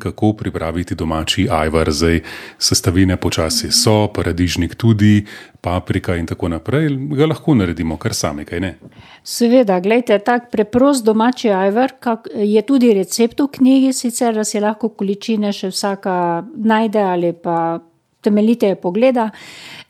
Kako pripraviti domači ajvar? Zdaj sestavine počasi so, paradižnik tudi, paprika in tako naprej. Ga lahko naredimo kar sami, kaj ne? Seveda, gledajte, tak preprost domači ajvar je tudi recept v knjigi, sicer da si lahko količine še vsaka najde ali pa temeljiteje pogleda.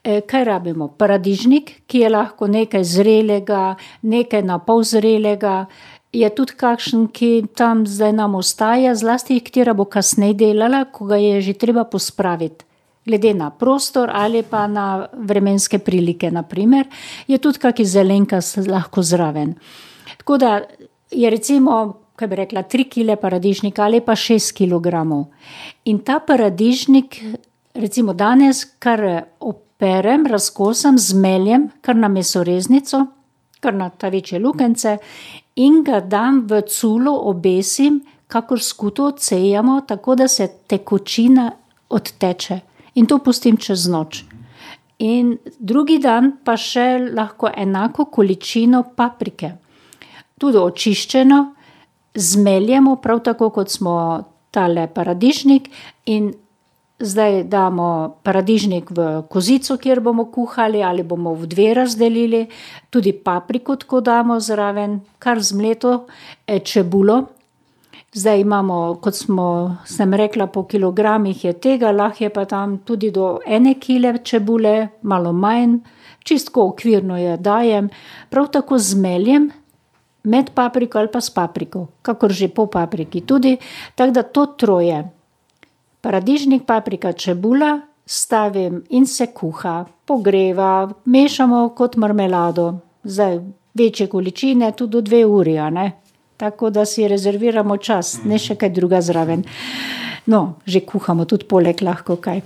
Kaj rabimo? Paradižnik, ki je lahko nekaj zrelega, nekaj na pol zrelega, je tudi kakšen, ki tam zdaj nam ostaja, zlasti katera bo kasneje delala, ko ga je že treba pospraviti. Glede na prostor ali pa na vremenske prilike, na primer, je tudi kaki zelenka lahko zraven. Tako da je recimo, kaj bi rekla, 3 kile paradižnika ali pa 6 kilogramov. In ta paradižnik, recimo danes, kar operem, razkosam, zmeljem, kar na mesoreznico, kar na ta večje lukence, in ga dam v culo, obesim, kakor skuto odsejamo, tako da se tekočina odteče. In to pustim čez noč. In drugi dan pa še lahko enako količino paprike. Tudi očiščeno, zmeljemo, prav tako kot smo tale paradižnik, in zdaj damo paradižnik v kozico, kjer bomo kuhali ali bomo v 2 razdelili, tudi papriko tako damo zraven, kar zmleto, čebulo. Zdaj imamo, kot sem rekla, po kilogramih je tega, lahko je pa tam tudi do 1 kile čebule, malo manj, čistko okvirno je dajem, prav tako zmeljem med papriko ali pa s papriko, kakor že po papriki tudi, tako da to troje. Paradižnik, paprika, čebula, stavim in se kuha, pogreva, mešamo kot marmelado. Zdaj večje količine, tudi do 2 uri, a ne? Tako da si rezerviramo čas, ne še kaj druga zraven. No, že kuhamo tudi poleg lahko kaj.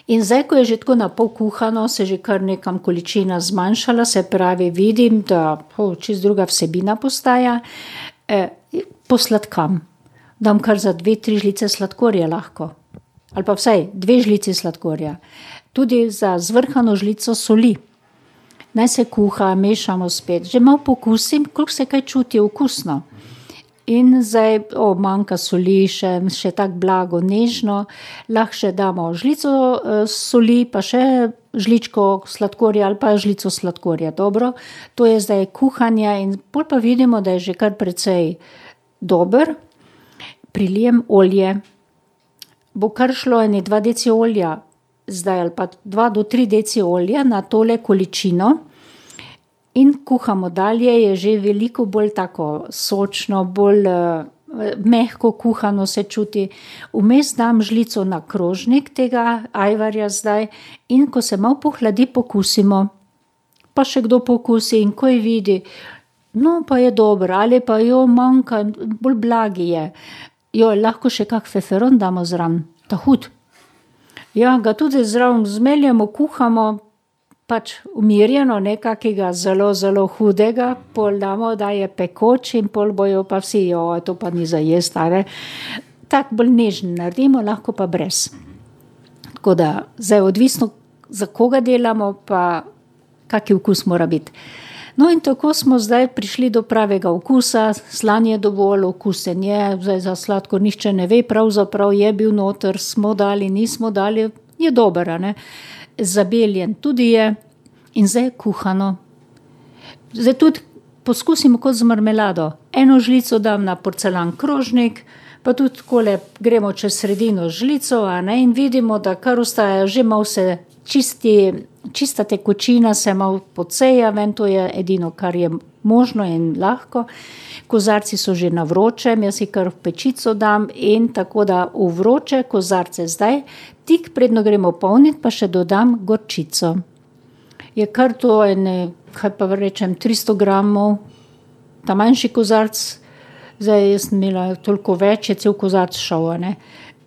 In zdaj, ko je že tako na pol kuhano, se že kar nekam količina zmanjšala, se pravi, vidim, da čist druga vsebina postaja, posladkam. Dam kar za 2-3 žlice sladkorja lahko. Ali pa vsaj 2 žlici sladkorja. Tudi za zvrhano žlico soli. Naj se kuha, mešamo spet. Že malo pokusim, koliko se kaj čuti okusno. In zdaj, manjka soli, še tako blago, nežno. Lahko še damo žlico soli, pa še žličko sladkorja ali pa žlico sladkorja. Dobro, to je zdaj kuhanje in pol pa vidimo, da je že kar precej dober. Prilijem olje. Bo kar šlo 2 deci olja, zdaj ali pa 2 do 3 deci olja na tole količino. In kuhamo dalje, je že veliko bolj tako sočno, bolj mehko kuhano se čuti. Vmes dam žlico na krožnik tega ajvarja zdaj in ko se malo pohladi, pokusimo. Pa še kdo pokusi in ko je vidi, no pa je dobro, ali pa manjka, bolj blagi je. Lahko še kak feferon damo zraven, ta hud. Ja, ga tudi zraven zmeljemo, kuhamo, pač umirjeno, nekakega zelo, zelo hudega, pol damo, da je pekoč in pol bojo pa vsi, to pa ni za jesti, ali. Tak bolj nežen naredimo, lahko pa brez. Tako da, zdaj odvisno, za koga delamo, pa kaki okus mora biti. No, in tako smo zdaj prišli do pravega okusa, slan je dovolj, okusen je, zdaj za sladkor nihče ne ve, pravzaprav je bil noter, smo dali, nismo dali, je dober, a ne. Zabeljen tudi je in zdaj je kuhano. Zdaj tudi poskusimo kot z marmelado. 1 žlico dam na porcelan krožnik, pa tudi takole gremo čez sredino žlico, a ne, in vidimo, da kar ostaja, že malo se čista tekočina se malo podseja ven, to je edino, kar je možno in lahko. Kozarci so že na vročem, jaz si kar v pečico dam in tako da v vroče kozarce zdaj, tik predno gremo polniti, pa še dodam gorčico. Je kar to kaj pa rečem, 300 gramov, ta manjši kozarc, zdaj jaz sem imela toliko več, je cel kozarc šel, ne.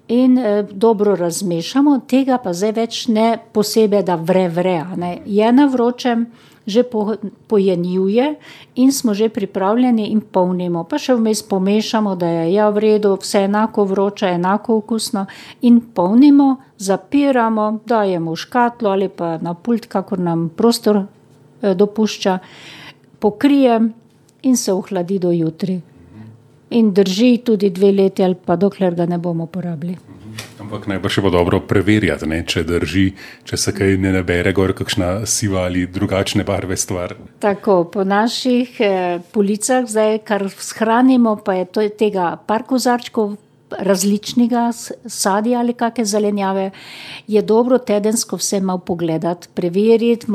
In dobro razmešamo, tega pa zdaj več ne posebej, da vre, ne. Je na vročem, že pojenjuje in smo že pripravljeni in polnimo. Pa še vmes pomešamo, da je v redu, vse enako vroče, enako okusno in polnimo, zapiramo, dajemo v škatlo ali pa na pult, kakor nam prostor dopušča, pokrijem in se ohladi do jutri. in drži tudi 2 leti ali pa dokler ga ne bomo porabili. Ampak najbrž je bo dobro preverjati, ne, če drži, če se kaj ne nabere gor kakšna siva ali drugačne barve stvar. Tako, po naših policah zdaj, kar shranimo, pa je to tega par kozarčkov različnega sadja ali kakšne zelenjave, je dobro tedensko vse malo pogledati, preveriti,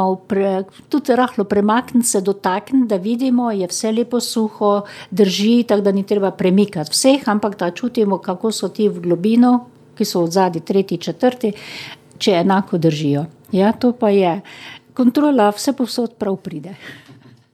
tudi rahlo premakniti se, dotakniti, da vidimo, je vse lepo suho, drži, tako da ni treba premikati vseh, ampak da čutimo, kako so ti v globino, ki so odzadi 3., 4., če enako držijo. Ja, to pa je. Kontrola vse povsod prav pride.